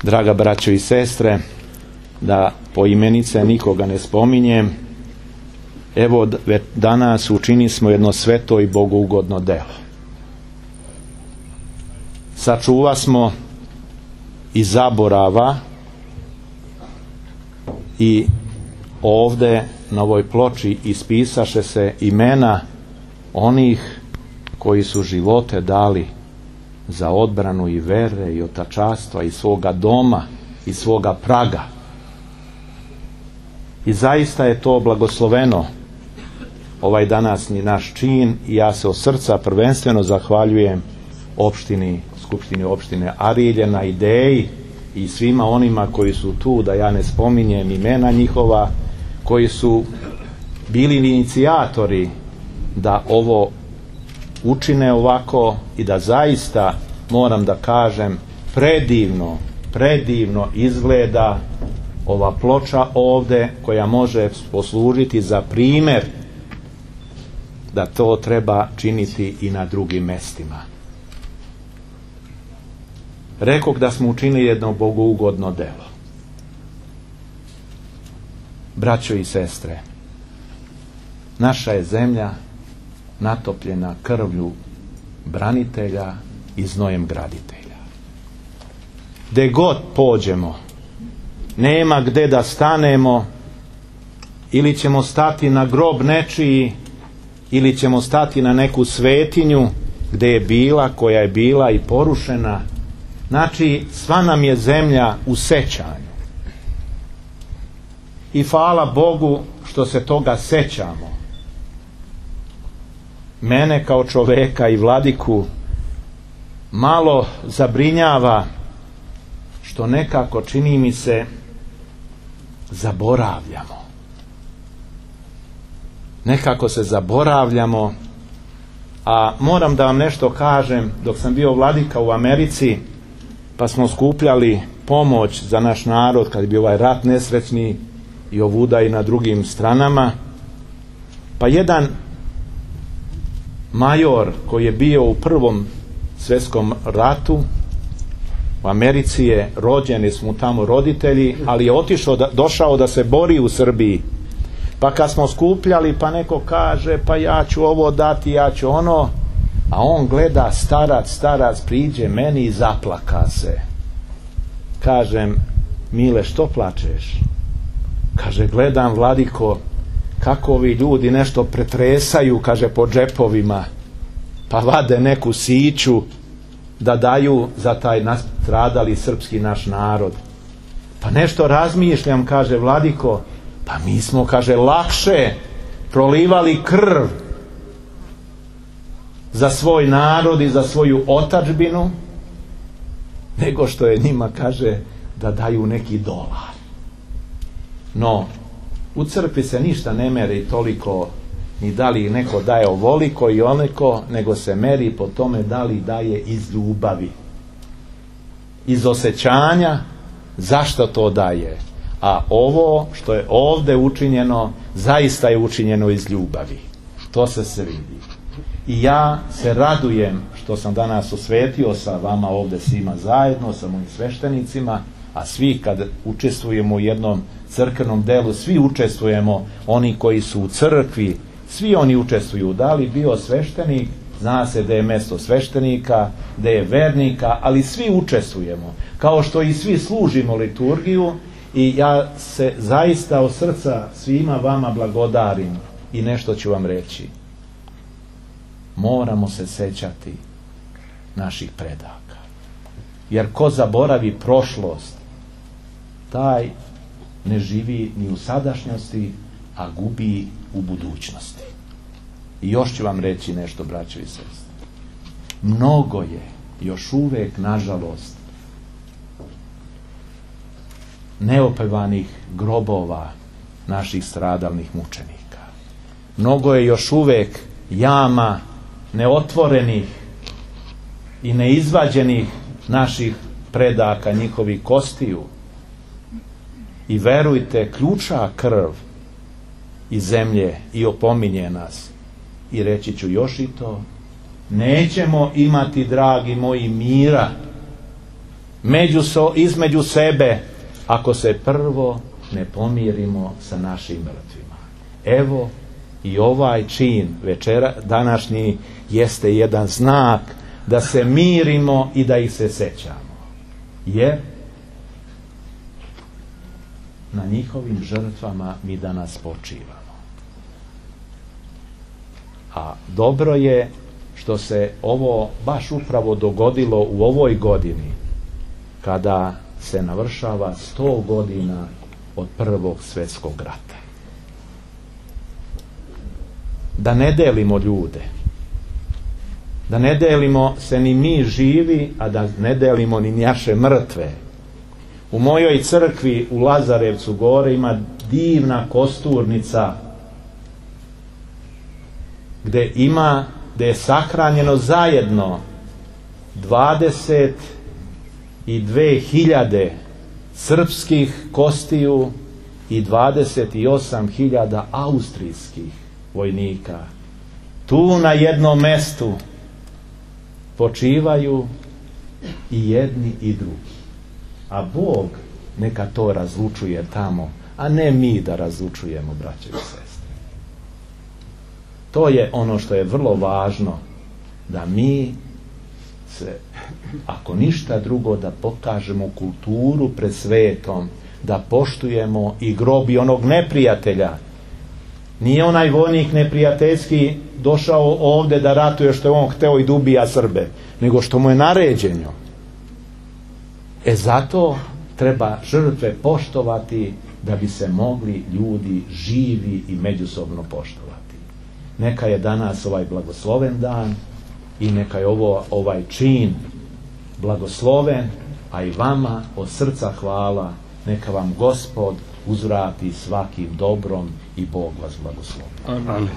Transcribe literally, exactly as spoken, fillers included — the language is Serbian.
Draga braćo i sestre, da po imenice nikoga ne spominjem, evo danas učini smo jedno sveto i bogougodno delo. Sačuva smo i zaborava i ovde na ovoj ploči ispisaše se imena onih koji su živote dali za odbranu i vere i otačastva i svoga doma i svoga praga. I zaista je to blagosloveno, ovaj današnji naš čin, i ja se od srca prvenstveno zahvaljujem opštini, Skupštini opštine Arilje na ideji i svima onima koji su tu, da ja ne spominjem imena njihova, koji su bili inicijatori da ovo učine ovako i da zaista, moram da kažem, predivno, predivno izgleda ova ploča ovde, koja može poslužiti za primer da to treba činiti i na drugim mestima. Rekoh da smo učinili jedno bogougodno delo. Braćo i sestre, naša je zemlja natopljena krvlju branitelja i znojem graditelja. Gde god pođemo, nema gde da stanemo, ili ćemo stati na grob nečiji, ili ćemo stati na neku svetinju gde je bila, koja je bila i porušena. Znači, sva nam je zemlja u sećanju. I hvala Bogu što se toga sećamo. Mene kao čoveka i vladiku malo zabrinjava što nekako, čini mi se, zaboravljamo. Nekako se zaboravljamo, a moram da vam nešto kažem. Dok sam bio vladika u Americi, pa smo skupljali pomoć za naš narod kad je bio ovaj rat nesrećni i ovuda i na drugim stranama, pa jedan major koji je bio u prvom svjetskom ratu u Americi je rođen, jer smo tamo roditelji, ali je otišao da, došao da se bori u Srbiji. Pa kad smo skupljali, pa neko kaže, pa ja ću ovo dati, ja ću ono, a on gleda, starac, starac, priđe meni i zaplaka se. Kažem, Mile, što plačeš? Kaže, gledam, vladiko, kako ovi ljudi nešto pretresaju, kaže, po džepovima, pa vade neku siću da daju za taj nastradali srpski naš narod. Pa nešto razmišljam, kaže, vladiko, pa mi smo, kaže, lakše prolivali krv za svoj narod i za svoju otadžbinu, nego što je njima, kaže, da daju neki dolar. No, u crkvi se ništa ne meri toliko, ni da li neko daje ovoliko i oneko, nego se meri po tome da li daje iz ljubavi, iz osjećanja zašto to daje. A ovo što je ovde učinjeno, zaista je učinjeno iz ljubavi. To se se vidi. I ja se radujem što sam danas osvetio sa vama ovde svima zajedno, sa mojim sveštenicima, a svi kad učestvujemo u jednom crkvenom delu, svi učestvujemo, oni koji su u crkvi, svi oni učestvuju. Da li bio sveštenik, zna se da je mesto sveštenika, da je vernika, ali svi učestvujemo, kao što i svi služimo liturgiju. I ja se zaista od srca svima vama blagodarim i nešto ću vam reći. Moramo se sećati naših predaka. Jer ko zaboravi prošlost, taj ne živi ni u sadašnjosti, a gubi u budućnosti. I još ću vam reći nešto, braćo i sestre. Mnogo je još uvek, nažalost, neopevanih grobova naših stradalnih mučenika. Mnogo je još uvek jama neotvorenih i neizvađenih naših predaka, njihovih kostiju. I verujte, ključa krv iz zemlje i opominje nas. I reći ću još i to, nećemo imati, dragi moji, mira međuso, između sebe, ako se prvo ne pomirimo sa našim mrtvima. Evo i ovaj čin večera današnji jeste jedan znak da se mirimo i da ih se sećamo, jer na njihovim žrtvama mi danas počivamo. A dobro je što se ovo baš upravo dogodilo u ovoj godini, kada se navršava sto godina od Prvog svjetskog rata. Da ne delimo ljude, da ne delimo se ni mi živi, a da ne delimo ni naše mrtve. U mojoj crkvi u Lazarevcu gore ima divna kosturnica gdje ima, gdje je sahranjeno zajedno dvadeset dvije hiljade srpskih kostiju i dvadeset osam hiljada austrijskih vojnika. Tu na jednom mestu počivaju i jedni i drugi. A Bog neka to razlučuje tamo, a ne mi da razlučujemo, braće i sestre. To je ono što je vrlo važno, da mi se, ako ništa drugo, da pokažemo kulturu pred svetom, da poštujemo i grob i onog neprijatelja. Nije onaj vojnik neprijateljski došao ovdje da ratuje što je on hteo i da ubija Srbe, nego što mu je naređeno. E zato treba žrtve poštovati da bi se mogli ljudi živi i međusobno poštovati. Neka je danas ovaj blagosloven dan i neka je ovo, ovaj čin blagosloven, a i vama od srca hvala. Neka vam Gospod uzvrati svakim dobrom i Bog vas blagoslovi. Amen.